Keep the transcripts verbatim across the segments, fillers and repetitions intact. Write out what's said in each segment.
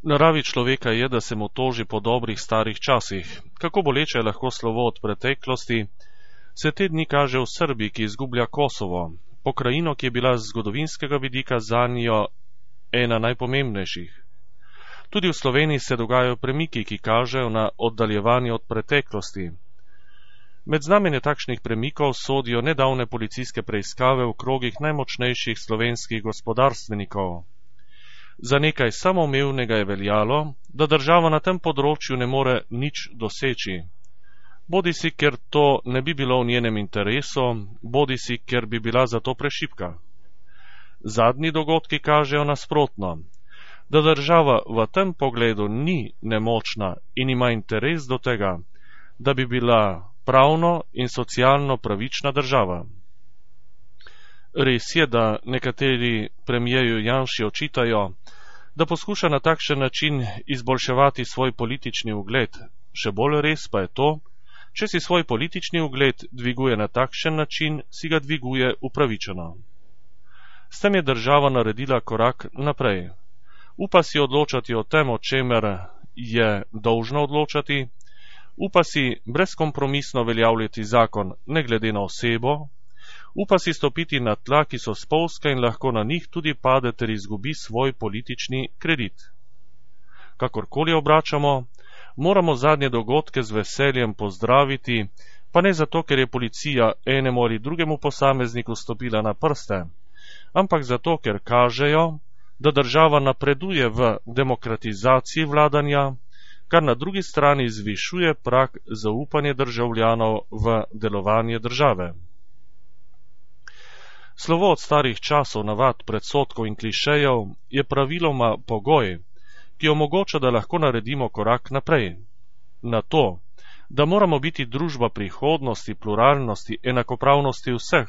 Naravi človeka je, da se mu toži po dobrih starih časih. Kako boleče je lahko slovo od preteklosti, se te dni kaže v Srbiji, ki izgublja Kosovo, pokrajino, ki je bila z zgodovinskega vidika zanjo ena najpomembnejših. Tudi v Sloveniji se dogajajo premiki, ki kažejo na oddaljevanje od preteklosti. Med znamenje takšnih premikov sodijo nedavne policijske preiskave v krogih najmočnejših slovenskih gospodarstvenikov. Za nekaj samoumevnega je veljalo, da država na tem področju ne more nič doseči. Bodisi, ker to ne bi bilo v njenem interesu, bodisi, ker bi bila zato prešibka. Zadnji dogodki kažejo nasprotno, da država v tem pogledu ni nemočna in ima interes do tega, da bi bila pravno in socialno pravična država. Res je, da nekateri premijeju Janši očitajo, da poskuša na takšen način izboljševati svoj politični ugled. Še bolj res pa je to, če si svoj politični ugled dviguje na takšen način, si ga dviguje upravičeno. S tem je država naredila korak naprej. Upa si odločati o tem, o čemer je dolžna odločati, upa si brezkompromisno veljavljati zakon ne glede na osebo, upa si stopiti na tla, ki so spolzka in lahko na njih tudi pade ter izgubi svoj politični kredit. Kakorkoli obračamo, moramo zadnje dogodke z veseljem pozdraviti, pa ne zato, ker je policija enemu ali drugemu posamezniku stopila na prste, ampak zato, ker kažejo, da država napreduje v demokratizaciji vladanja, kar na drugi strani zvišuje prag zaupanja državljanov v delovanje države. Slovo od starih časov, navad, predsodkov in klišejev je praviloma pogoj, ki omogoča, da lahko naredimo korak naprej. Na to, da moramo biti družba prihodnosti, pluralnosti, enakopravnosti vseh,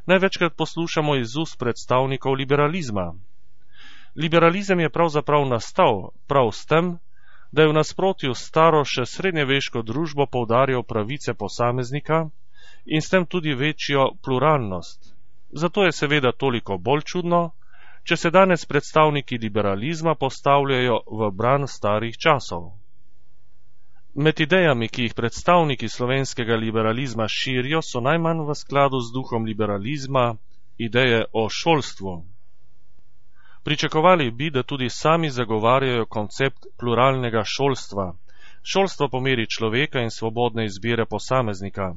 največkrat poslušamo iz ust predstavnikov liberalizma. Liberalizem je pravzaprav nastal prav s tem, da je v nasprotju s staro še srednjeveško družbo poudarjal pravice posameznika in s tem tudi večjo pluralnost. Zato je seveda toliko bolj čudno, če se danes predstavniki liberalizma postavljajo v bran starih časov. Med idejami, ki jih predstavniki slovenskega liberalizma širijo, so najmanj v skladu z duhom liberalizma ideje o šolstvu. Pričakovali bi, da tudi sami zagovarjajo koncept pluralnega šolstva. Šolstvo po meri človeka in svobodne izbire posameznika.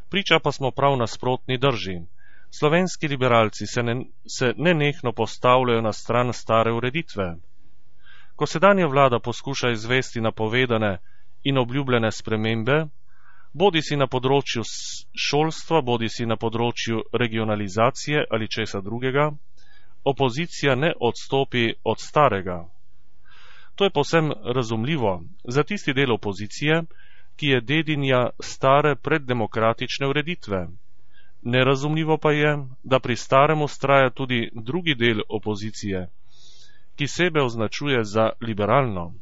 Priča pa smo prav nasprotni drži. Slovenski liberalci se, ne, se nenehno postavljajo na stran stare ureditve. Ko sedanja vlada poskuša izvesti napovedane in obljubljene spremembe, bodi si na področju šolstva, bodi si na področju regionalizacije ali česa drugega, opozicija ne odstopi od starega. To je povsem razumljivo za tisti del opozicije, ki je dedinja stare preddemokratične ureditve. Nerazumljivo pa je, da pri starem vztraja tudi drugi del opozicije, ki sebe označuje za liberalno.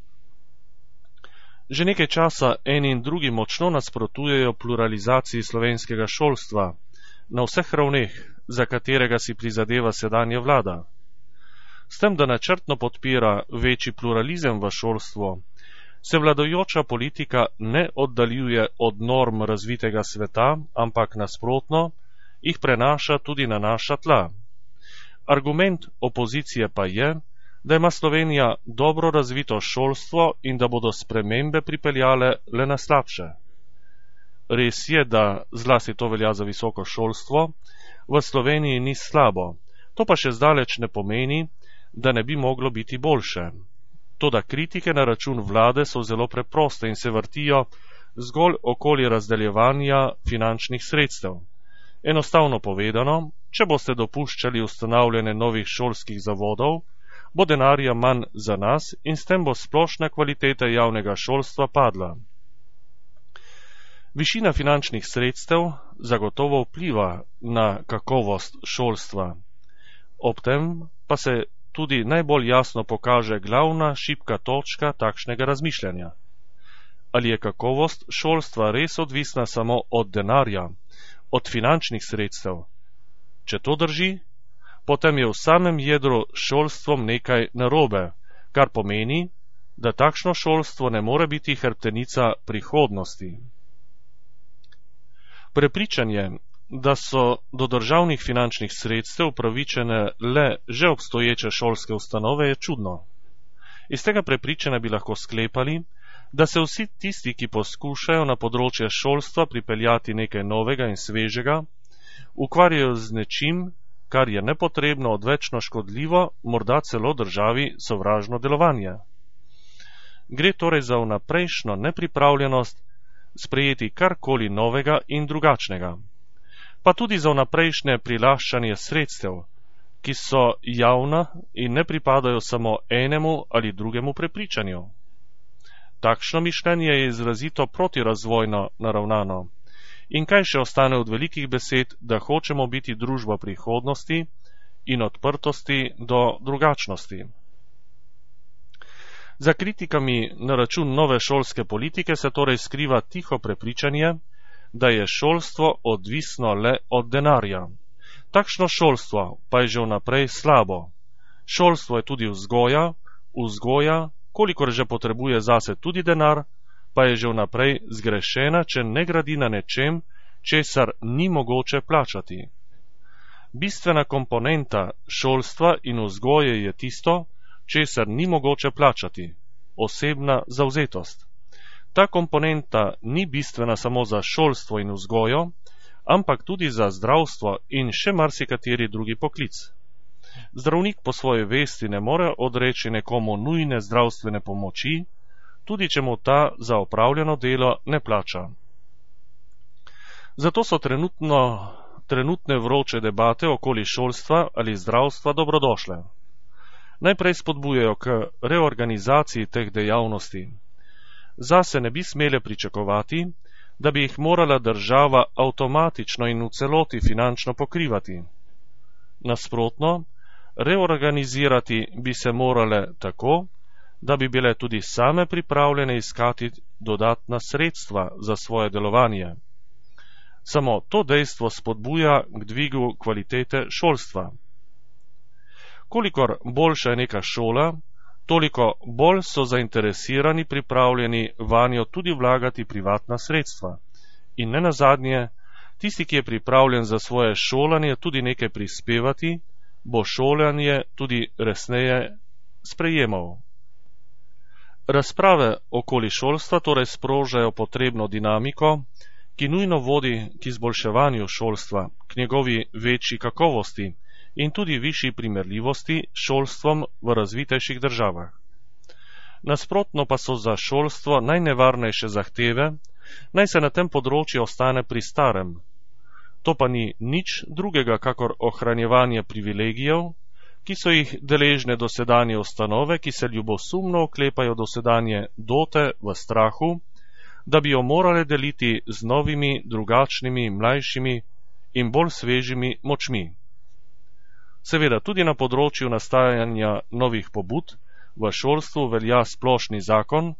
Že nekaj časa eni in drugi močno nasprotujejo pluralizaciji slovenskega šolstva na vseh ravneh, za katerega si prizadeva sedanja vlada. S tem, da načrtno podpira večji pluralizem v šolstvu, se vladajoča politika ne oddaljuje od norm razvitega sveta, ampak nasprotno, jih prenaša tudi na naša tla. Argument opozicije pa je, da ima Slovenija dobro razvito šolstvo in da bodo spremembe pripeljale le na slabše. Res je, da zlasti to velja za visoko šolstvo, v Sloveniji ni slabo. To pa še zdaleč ne pomeni, da ne bi moglo biti boljše. Toda kritike na račun vlade so zelo preproste in se vrtijo zgolj okoli razdeljevanja finančnih sredstev. Enostavno povedano, če boste dopuščali ustanavljanje novih šolskih zavodov, bo denarja manj za nas in s tem bo splošna kvaliteta javnega šolstva padla. Višina finančnih sredstev zagotovo vpliva na kakovost šolstva. Ob tem pa se tudi najbolj jasno pokaže glavna šibka točka takšnega razmišljanja. Ali je kakovost šolstva res odvisna samo od denarja, od finančnih sredstev? Če to drži, potem je v samem jedru šolstvom nekaj narobe, kar pomeni, da takšno šolstvo ne more biti hrbtenica prihodnosti. Prepričanje, da so do državnih finančnih sredstev upravičene le že obstoječe šolske ustanove, je čudno. Iz tega prepričanja bi lahko sklepali, da se vsi tisti, ki poskušajo na področje šolstva pripeljati nekaj novega in svežega, ukvarjajo z nečim, kar je nepotrebno, odvečno škodljivo, morda celo državi sovražno delovanje. Gre torej za vnaprejšnjo nepripravljenost sprejeti karkoli novega in drugačnega, pa tudi za vnaprejšnje prilaščanje sredstev, ki so javna in ne pripadajo samo enemu ali drugemu prepričanju. Takšno mišljenje je izrazito protirazvojno naravnano. In kaj še ostane od velikih besed, da hočemo biti družba prihodnosti in odprtosti do drugačnosti? Za kritikami na račun nove šolske politike se torej skriva tiho prepričanje, da je šolstvo odvisno le od denarja. Takšno šolstvo pa je že vnaprej slabo. Šolstvo je tudi vzgoja, vzgoja, kolikor že potrebuje zase tudi denar, pa je že vnaprej zgrešena, če ne gradi na nečem, česar ni mogoče plačati. Bistvena komponenta šolstva in vzgoje je tisto, česar ni mogoče plačati, osebna zavzetost. Ta komponenta ni bistvena samo za šolstvo in vzgojo, ampak tudi za zdravstvo in še marsikateri drugi poklic. Zdravnik po svoji vesti ne more odreči nekomu nujne zdravstvene pomoči, tudi če mu ta za opravljeno delo ne plača. Zato so trenutno, trenutne vroče debate okoli šolstva ali zdravstva dobrodošle. Najprej spodbujajo k reorganizaciji teh dejavnosti. Zase ne bi smele pričakovati, da bi jih morala država avtomatično in v celoti finančno pokrivati. Nasprotno, reorganizirati bi se morale tako, da bi bile tudi same pripravljene iskati dodatna sredstva za svoje delovanje. Samo to dejstvo spodbuja k dvigu kvalitete šolstva. Kolikor boljša je neka šola, toliko bolj so zainteresirani pripravljeni vanjo tudi vlagati privatna sredstva. In ne nazadnje, tisti, ki je pripravljen za svoje šolanje tudi nekaj prispevati, bo šolanje tudi resneje sprejemal. Razprave okoli šolstva torej sprožajo potrebno dinamiko, ki nujno vodi k izboljševanju šolstva, k njegovi večji kakovosti in tudi višji primerljivosti s šolstvom v razvitejših državah. Nasprotno pa so za šolstvo najnevarnejše zahteve, naj se na tem področju ostane pri starem. To pa ni nič drugega kakor ohranjevanje privilegijev, ki so jih deležne dosedanje ustanove, ki se ljubosumno oklepajo dosedanje dote v strahu, da bi jo morale deliti z novimi, drugačnimi, mlajšimi in bolj svežimi močmi. Seveda tudi na področju nastajanja novih pobud v šolstvu velja splošni zakon,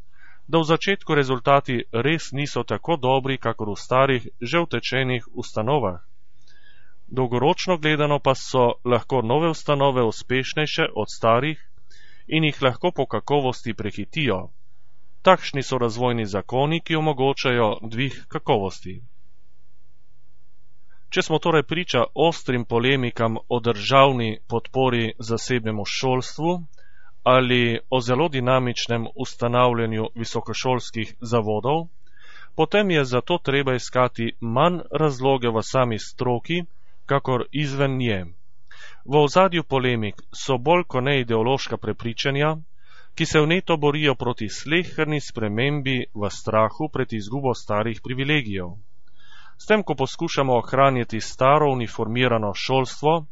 da v začetku rezultati res niso tako dobri, kakor v starih, že utečenih ustanovah. Dolgoročno gledano pa so lahko nove ustanove uspešnejše od starih in jih lahko po kakovosti prehitijo. Takšni so razvojni zakoni, ki omogočajo dvig kakovosti. Če smo torej priča ostrim polemikam o državni podpori zasebnemu šolstvu ali o zelo dinamičnem ustanavljanju visokošolskih zavodov, potem je zato treba iskati manj razloge v sami stroki, kakor izven nje. V ozadju polemik so bolj kot ne ideološka prepričanja, ki se vneto borijo proti sleherni spremembi v strahu pred izgubo starih privilegijev. S tem, ko poskušamo ohranjati staro uniformirano šolstvo,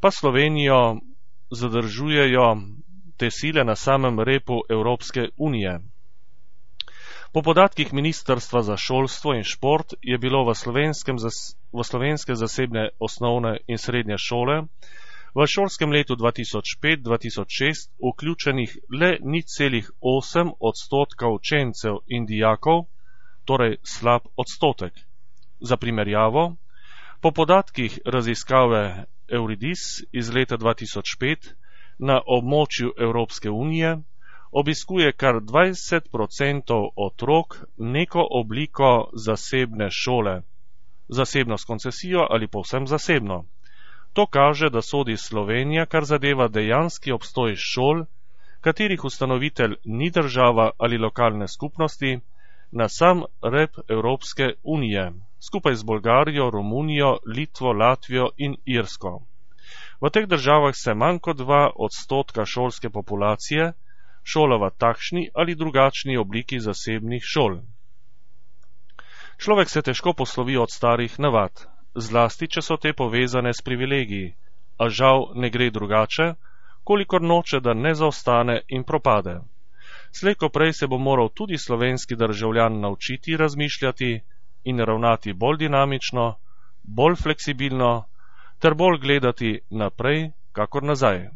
pa Slovenijo zadržujejo te sile na samem repu Evropske unije. Po podatkih Ministrstva za šolstvo in šport je bilo v, v slovenske zasebne osnovne in srednje šole v šolskem letu dva tisoč pet dva tisoč šest vključenih le nič celih osem odstotka učencev in dijakov, torej slab odstotek. Za primerjavo, po podatkih raziskave Euridis iz leta dva tisoč pet na območju Evropske unije obiskuje kar dvajset procentov otrok neko obliko zasebne šole, zasebno s koncesijo ali povsem zasebno. To kaže, da sodi Slovenija, kar zadeva dejanski obstoj šol, katerih ustanovitelj ni država ali lokalne skupnosti, na sam rep Evropske unije, skupaj z Bolgarijo, Romunijo, Litvo, Latvijo in Irsko. V teh državah se manj kot dva odstotka šolske populacije šola v takšni ali drugačni obliki zasebnih šol. Človek se težko poslovi od starih navad, zlasti če so te povezane s privilegiji, a žal ne gre drugače, kolikor noče, da ne zaostane in propade. Slej ko prej se bo moral tudi slovenski državljan naučiti razmišljati in ravnati bolj dinamično, bolj fleksibilno ter bolj gledati naprej kakor nazaj.